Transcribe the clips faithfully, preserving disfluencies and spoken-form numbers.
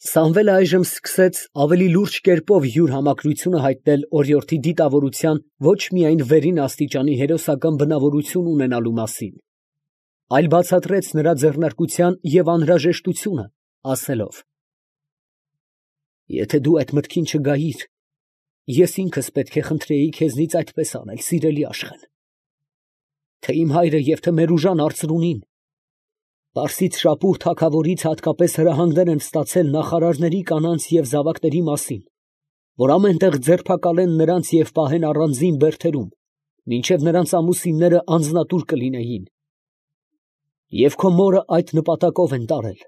Սամվելը այժմ սկսեց ավելի լուրջ կերպով յուր համակրությունը հայտնել օրիորդի դիտավորության ոչ միայն վերին աստիճանի հերոսական բնավորություն ունենալու մասին, այլ բացատրեց նրա ձեռնարկության և անհրաժեշտությունը, ասելով. «Եթե դու այդ մտքին չգայիր, ես ինքս պետք է խնդրեի քեզնից այդպես անել, սիրելի Աշխեն, թե իմ հայրը և թե մեր ուժան արծրունին Պարսից շապուհ թագավորից հատկապես հրահանգներ են ստացել նախարարների կանանց և զավակների մասին, որ ամեն տեղ ձերբակալեն նրանց և պահեն առանձին բերդերում, մինչև նրանց ամուսինները անձնատուր կլինեին. և քո մորը այդ նպատակով են տարել.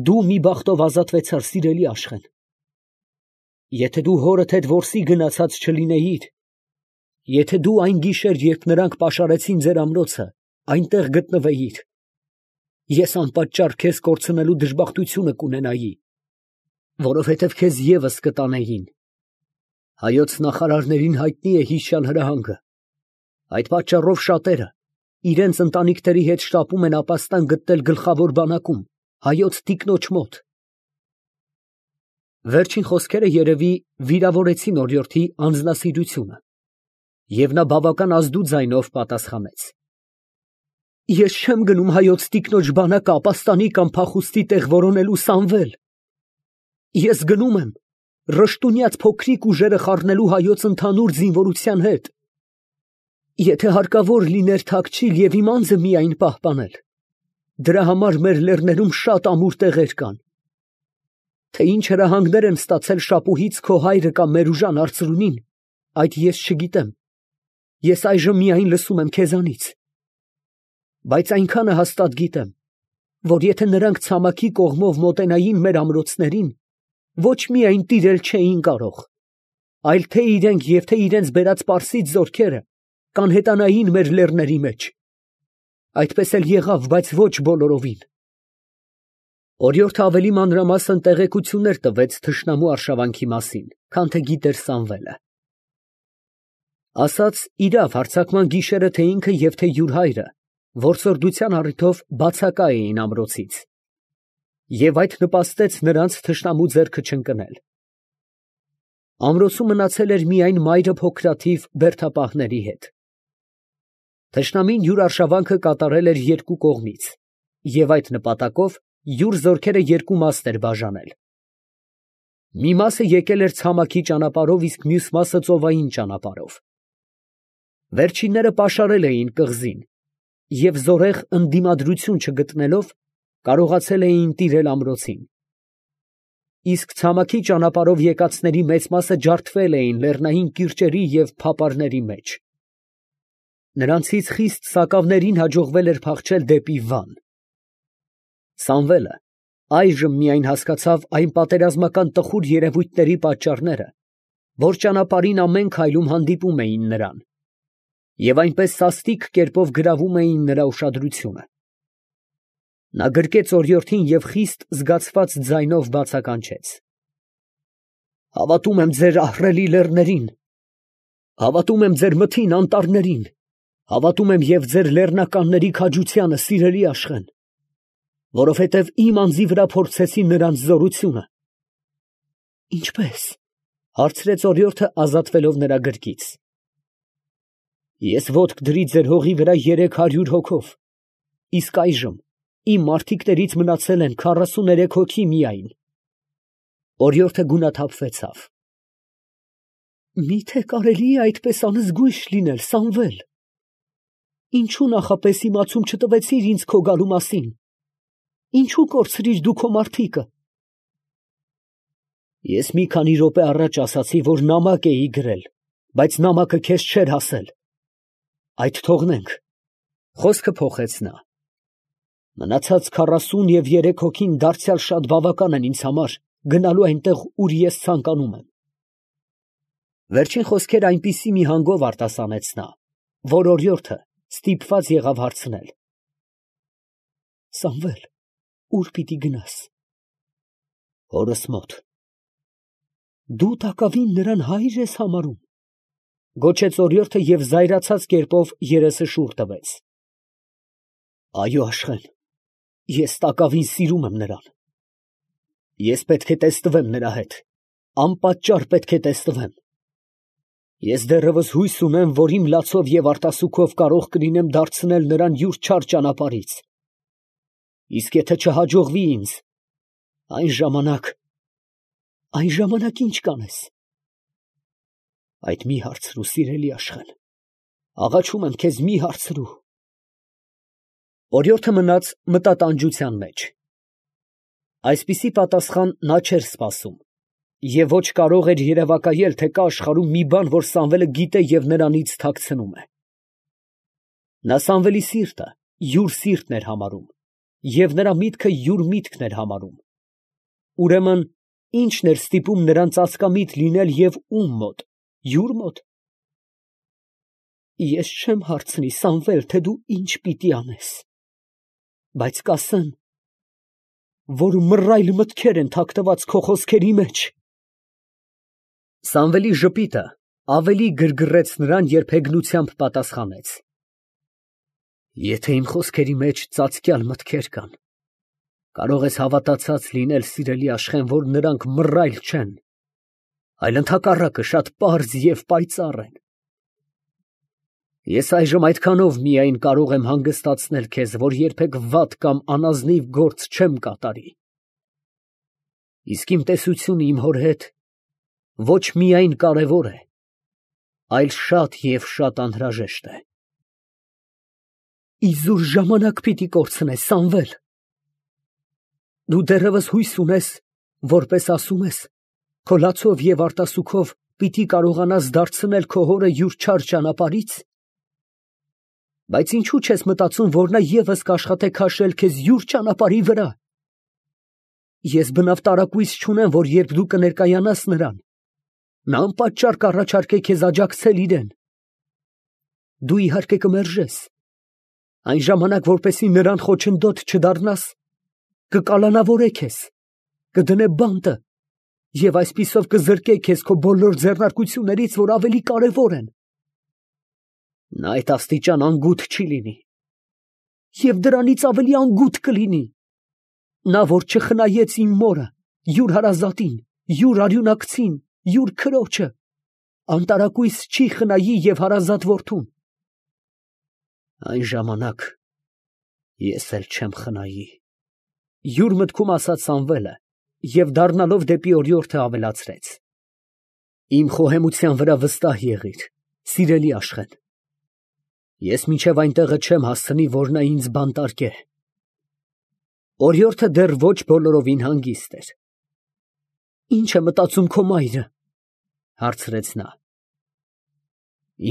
դու մի բախտով ազատվեցար, սիրելի Աշխեն. եթե դու հորդ հետ որսի գնացած չլինեիր, եթե դու այն գիշեր, երբ նրանք պաշարեցին ձեր ամրոցը, այնտեղ գտնվեիր, ես անպատճառ քեզ կորցնելու դժբախտությունը կունենայի, որովհետև քեզ ևս կտանեին. հայոց նախարարներին հայտնի է հիշյալ հրահանգը, այդ պատճառով շատերը իրենց ընտանիքների հետ շտապում են ապաստան գտնել գլխավոր բանակում, հայոց տիկնոջ մոտ»։ Վերջին խոսքերը երևի վիրավորեցին օրիորդի անձնասիրությունը, և նա բավական ազդու ձայնով պատասխանեց. «Ես չեմ գնում հայոց տիկնոջ բանակը ապաստանի կամ փախուստի տեղ որոնելու, Սամվել. ես գնում եմ ռշտունյաց փոքրիկ ուժերը խառնելու հայոց ընդհանուր զինվորության հետ, եթե հարկավոր լիներ թաքչիլ և իմ անձը միայն պահպանել, դրա համար մեր լեռներում շատ ամուր տեղեր կան, թե ինչ հրահանգներ են ստացել շապուհից քո հայրը կամ Մերուժան արծրունին, այդ ես չգիտեմ, ես այժմ միայն լսում եմ քեզանից, բայց այնքանը հաստատ գիտեմ, որ եթե նրանք ցամաքի կողմով մոտենային մեր ամրոցներին, ոչ միայն տիրել չէին կարող, այլ թե իրենք և թե իրենց բերած պարսից զորքերը կանհետանային մեր լեռների մեջ. այդպես էլ եղավ, բայց ոչ բոլորովին»։ Օրիորդը ավելի մանրամասն տեղեկություններ տվեց թշնամու արշավանքի մասին, քան թե գիտեր Սամվելը. ասաց իրավ հարձակման գիշերը թե ինքը և թե յուր հայրը որսորդության առիթով բացակա էին ամրոցից, և այդ նպաստեց նրանց թշնամու ձեռքը չընկնել. ամրոցում մնացել էր միայն մայրը փոքրաթիվ բերդապահների հետ։ Թշնամին յուր արշավանքը կատարել էր երկու կողմից, և այդ նպատակով յուր զորքերը երկու մասն էր բաժանել. մի մասը եկել էր ցամաքի ճանապարհով, իսկ մյուս մասը ծովային ճանապարհով։ Վերջինները պաշարել էին կղզին և զորեղ ընդդիմադրություն չգտնելով, կարողացել էին տիրել ամրոցին, իսկ ցամաքի ճանապարհով եկածների մեծ մասը ջարդվել էին լեռնային կիրճերի և փապարների մեջ։ Նրանցից խիստ սակավներին հաջողվել էր փախչել դեպի Վան։ Սամվելը այժմ միայն հասկացավ այն պատերազմական տխուր երևույթների պատճառները, որ ճանապարհին ամեն քայլում հանդիպում էին նրան, և այնպես սաստիկ կերպով գրավում էին նրա ուշադրությունը։ Նա գրկեց օրիորդին և խիստ զգացված ձայնով բացականչեց. «Հավատում եմ ձեր ահռելի լեռներին, հավատում եմ ձեր մթին անտառներին, հավատում եմ և ձեր լեռնականների քաջությանը, սիրելի Աշխեն, որովհետև իմ անձի վրա փորձեցի նրանց զորությունը»։ «Ինչպե՞ս», հարցրեց օրիորդը, ազատվելով նրա գրկից։ «Ես ոտք դրի ձեր հողի վրա երեք հարյուր հոգով, իսկ այժմ իմ մարդիկներից մնացել են քառասուներեք հոգի միայն»։ Օրիորդը գունաթափվեցավ. «Մի՞թե կարելի է այդպես անզգույշ լինել, Սամվել. ինչո՞ւ նախապես իմացում չտվեցիր ինձ քո գալու մասին, ինչո՞ւ կորցրիր դու քո մարդիկը»։ «Ես մի քանի րոպե առաջ ասացի, որ նամակ էի գրել, բայց նամակը քեզ չէր հասել»։ «Այդ թողնենք», խոսքը փոխեց նա, «մնացած քառասուն և երեք հոգին դարձյալ շատ բավական են ինձ համար գնալու այնտեղ, ուր ես ցանկանում եմ»։ Վերջին խոսքերը այնպիսի մի հանգով արտասանեց նա, որ օրիորդը ստիպված եղավ հարցնել. «Սամվել, ո՞ւր պիտի գնաս»։ «Հորս մոտ»։ «Դու տակավին նրան հայր ես համարում», գոչեց օրիորդը և զայրացած կերպով երեսը շուռ տվեց։ «Այո, Աշխեն, ես տակավին սիրում եմ նրան»։ Ես պետք է տեսնվեմ նրա հետ, անպատճառ պետք է տեսնվեմ։ Ես դեռևս հույս ունեմ, որ իմ լացով և արտասուքով կարող կլինեմ դարձնել նրան յուր չար ճանապարհից։ Իսկ եթե չհաջողվի ինձ, այն ժամանակ… այն ժամանակ ի՞նչ կանես։ Այդ մի հարցրու, սիրելի Աշխեն, աղաչում եմ քեզ, մի հարցրու։ Օրիորդը մնաց մտատանջության մեջ։ Այսպիսի պատասխան նա չէր սպասում, և ոչ կարող էր երևակայել, թե կա աշխարհում մի բան, որ Սամվելը գիտե և նրանից թաքցնում է։ Նա Սամվելի սիրտը յուր սիրտն էր համարում, և նրա միտքը յուր միտքն էր համարում։ Ուրեմն ի՞նչն էր ստիպում նրան ծածկամիտ լինել և ում մոտ, յուր մոտ։ Ես չեմ հարցնի, Սամվել, թե դու ինչ պիտի անես, բայց կասեմ, որ մռայլ մտքեր են թաքնված քո խոսքերի մեջ։ Սամվելի ժպիտը ավելի գրգռեց նրան, երբ հեգնությամբ պատասխանեց. Եթե իմ խոսքերի մեջ ծածկյալ մտքեր կան, կարող ես հավատացած լինել, սիրելի Աշխեն, որ նրանք մռայլ չեն, այլ ընդհակառակը շատ պարզ և պայծառ են։ Ես այժմ այդքանով միայն կարող եմ հանգստացնել քեզ, որ երբեք վատ կամ անազնիվ գործ չեմ կատարի։ Իսկ իմ տեսությունը իմ հոր հետ ոչ միայն կարևոր է, այլ շատ և շատ անհրաժեշտ է։ Իզուր ժամանակ պիտի կորցնես, Սամվել։ Դու դեռևս հույս ունես, որպես ասում ես, քո լացով և արտասուքով պիտի կարողանաս դարձնել քո հորը յուր չար ճանապարհից։ Բայց ինչո՞ւ չես մտածում, որ նա ևս կաշխատե քաշել քեզ յուր ճանապարհի վրա։ Ես բնավ տարակույս չունեմ, որ երբ դու կներկայանաս նրան, նա անպատճառ կառաջարկե քեզ աջակցել իրան։ Դու իհարկե կմերժես, այն ժամանակ, որպեսզի նրան խոչընդոտ չդառնաս, կկալանավորե քեզ, կդնե բանտը և այսպիսով կզրկե քեզ քո բոլոր ձեռնարկություններից, որ ավելի կարևոր են։ Նա այդ աստիճան անգութ չի լինի, և դրանից ավելի անգութ կլինի։ Նա, որ չխնայեց իմ մորը, յուր հարազատին, յուր արյունակցին, յուր քրոջը, անտարակույս չի խնայի և հարազատ որդուն։ Այն ժամանակ ես էլ չեմ խնայի, յուր մտքում ասաց Սամվելը և դառնալով դեպի օրիորդը ավելացրեց. Իմ խոհեմության վրա վստահ եղիր, սիրելի Աշխեն, ես մինչև այնտեղը չեմ հասցնի, որ նա ինձ բանտարկե։ Օրիորդը դեռ ոչ բոլորովին հանգիստ էր։ Ի՞նչ է մտածում քո մայրը, հարցրեց նա։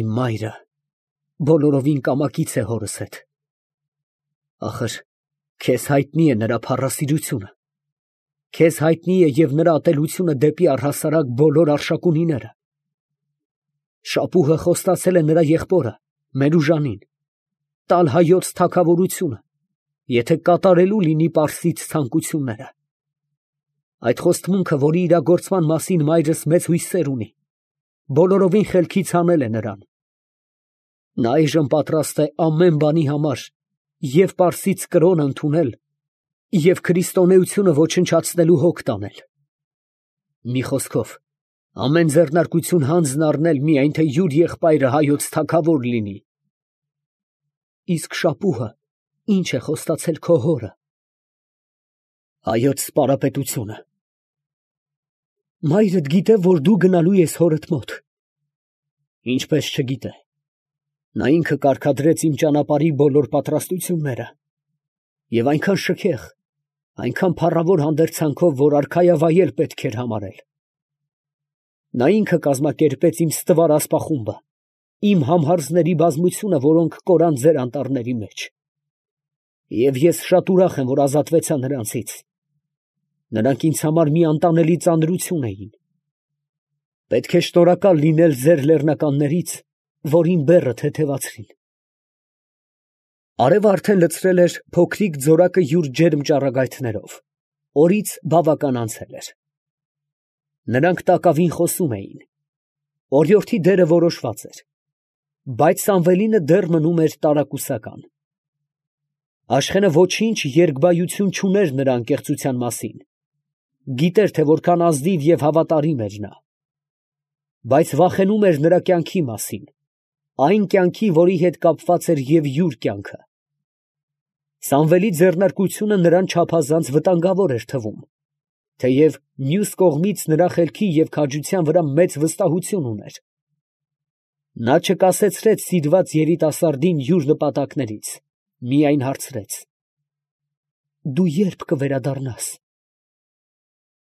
Իմ մայրը բոլորովին կամակից է հորս հետ։ Ախր քեզ հայտնի է նրա փառասիրությունը, քեզ հայտնի է և նրա ատելությունը դեպի առհասարակ բոլոր արշակունիները։ Շապուհը խոստացել է նրա եղբորը Մերուժանին տալ հայոց թագավորությունը, եթե կատարելու լինի պարսից ցանկությունները։ Այդ խոստմունքը, որի իրագործման մասին մայրս մեծ հույսեր ունի, բոլորովին խելքից հանել է նրան։ Նա այժմ պատրաստ է ամեն բանի համար և պարսից կրոն ընդունել, և քրիստոնեությունը ոչնչացնելու հոգ տանել։ Մի խոսքով, ամեն ձեռնարկություն հանձն առնել, միայն թե յուր եղբայրը հայոց թագավոր լինի։ Իսկ շապուհը ի՞նչ է խոստացել քո հորը։ Հայոց սպարապետությունը։ Մայրդ գիտե, որ դու գնալու ես հորդ մոտ։ Ինչպես չգիտե։ Նա ինքը կարգադրեց իմ ճանապարհի բոլոր պատրաստությունները և այնքան շքեղ, այնքան փառավոր հանդերձանքով, որ արքայավայել պետք էր համարել։ Նա ինքը կազմակերպեց իմ ստվար ասպախումբը, իմ համհարձների բազմությունը, որոնք կորան ձեր անտառների մեջ։ Եվ ես շատ ուրախ եմ, որ ազատվեցա նրանցից։ Նրանք ինձ համար մի անտանելի ծանրություն էին։ Պետք է շնորհակալ լինել ձեր լեռնականներից, որ իմ բեռը թեթևացրին։ Արևը արդեն լցրել էր փոքրիկ ձորակը յուր ջերմ ճառագայթներով, օրից բավական անցել էր։ Նրանք տակավին խոսում էին։ Օրիորդի դերը որոշված էր, բայց Սամվելինը դեռ մնում էր տարակուսական։ Աշխենը ոչինչ երկբայություն չուներ նրա անկեղծության մասին, Գիտեր, թե որքան ազնիվ և հավատարիմ էր նա, բայց վախենում էր նրա կյանքի մասին, այն կյանքի, որի հետ կապված էր և յուր կյանքը։ Սամվելի ձեռնարկությունը նրան չափազանց վտանգավոր էր թվում, թեև մյուս կողմից նրա խելքի և քաջության վրա մեծ վստահություն ուներ։ Նա չկասեցրեց սիրված երիտասարդին յուր նպատակներից, միայն հարցրեց. «Դու ե՞րբ կվերադառնաս»։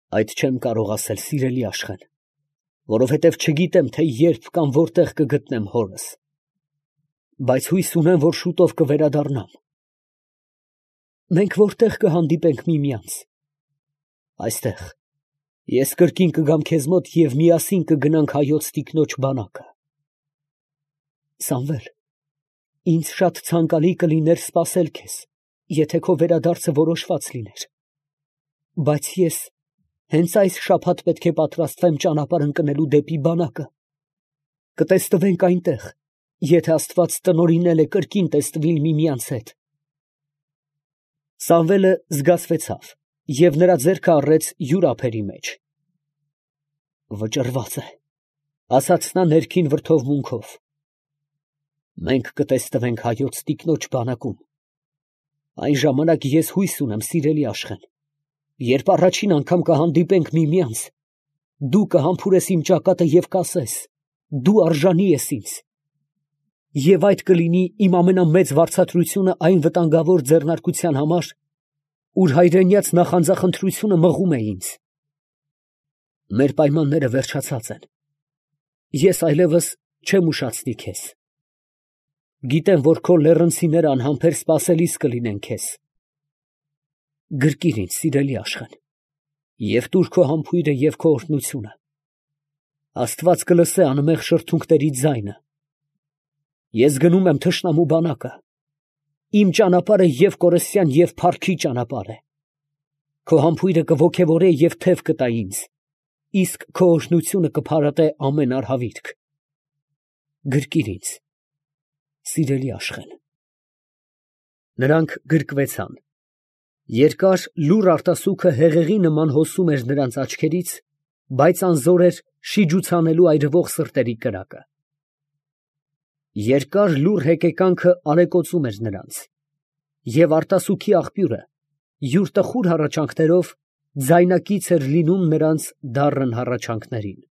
«Այդ չեմ կարող ասել, սիրելի Աշխեն, որովհետև չգիտեմ, թե ե՞րբ կամ ո՞րտեղ կգտնեմ հորս, բայց հույս ունեմ, որ շուտով կվերադառնամ»։ «Մենք ո՞րտեղ կհանդիպենք միմյանց»։ «Այստեղ, ես կրկին կգամ քեզ մոտ և միասին կգնանք հայոց տիկնոջ բանակը»։ «Սամվել, ինձ շատ ցանկալի կլիներ սպասել քեզ, եթե քո վերադարձը որոշված լիներ, բայց ես հենց այս շաբաթ պետք է պատրաստվեմ ճանապարհ ընկնելու դեպի բանակը։ Կտեսնվենք այնտեղ, եթե Աստված տնօրինել է կրկին տեսնվիլ միմյանց հետ»։ Սամվելը զգացվեցավ և նրա ձեռքը առեց յուր ափերի մեջ։ «Վճռված է», ֊ ասաց նա ներքին վրդովմունքով։ «Մենք կտեսնվենք հայոց տիկնոջ բանակում։ Այն ժամանակ ես հույս ունեմ, սիրելի Աշխեն, երբ առաջին անգամ կհանդիպենք միմյանց, դու կհամբուրես իմ ճակատը և կասես. «Դու արժանի ես ինձ»։ Եվ այդ կլինի իմ ամենամեծ վարձատրությունը այն վտանգավոր ձեռնարկության համար, ուր հայրենյաց նախանձախնդրությունը մղում է ինձ։ Մեր պայմանները վերջացած են. ես այլևս չեմ ուշացնի քեզ։ Գիտեմ, որ քո լեռնցիները անհամբեր սպասելիս կլինեն քեզ։ Գրկիր ինձ, սիրելի Աշխեն, և տուր քո համբույրը և քո օրհնությունը։ Աստված կլսե անմեղ շրթունքների ձայնը։ Ես գնում եմ թշնամու բանակը։ Իմ ճանապարհը և կորստյան, և փառքի ճանապարհ է։ Քո համբույրը կոգևորե և թև կտա ինձ, իսկ քո օրհնությունը կփարատե ամեն արհավիրք։ Գրկիր ինձ, սիրելի Աշխեն։ Նրանք գրկվեցան։ Երկար լուռ արտասուքը հեղեղի նման հոսում էր նրանց աչքերից, բայց անզոր էր շիջուցանելու այրվող սրտերի կրակը։ Երկար լուռ հեկեկանքը ալեկոծում էր նրանց, և արտասուքի աղբյուրը յուր տխուր հառաչանքներով ձայնակից էր լինում նրանց դառն հառաչանքներին։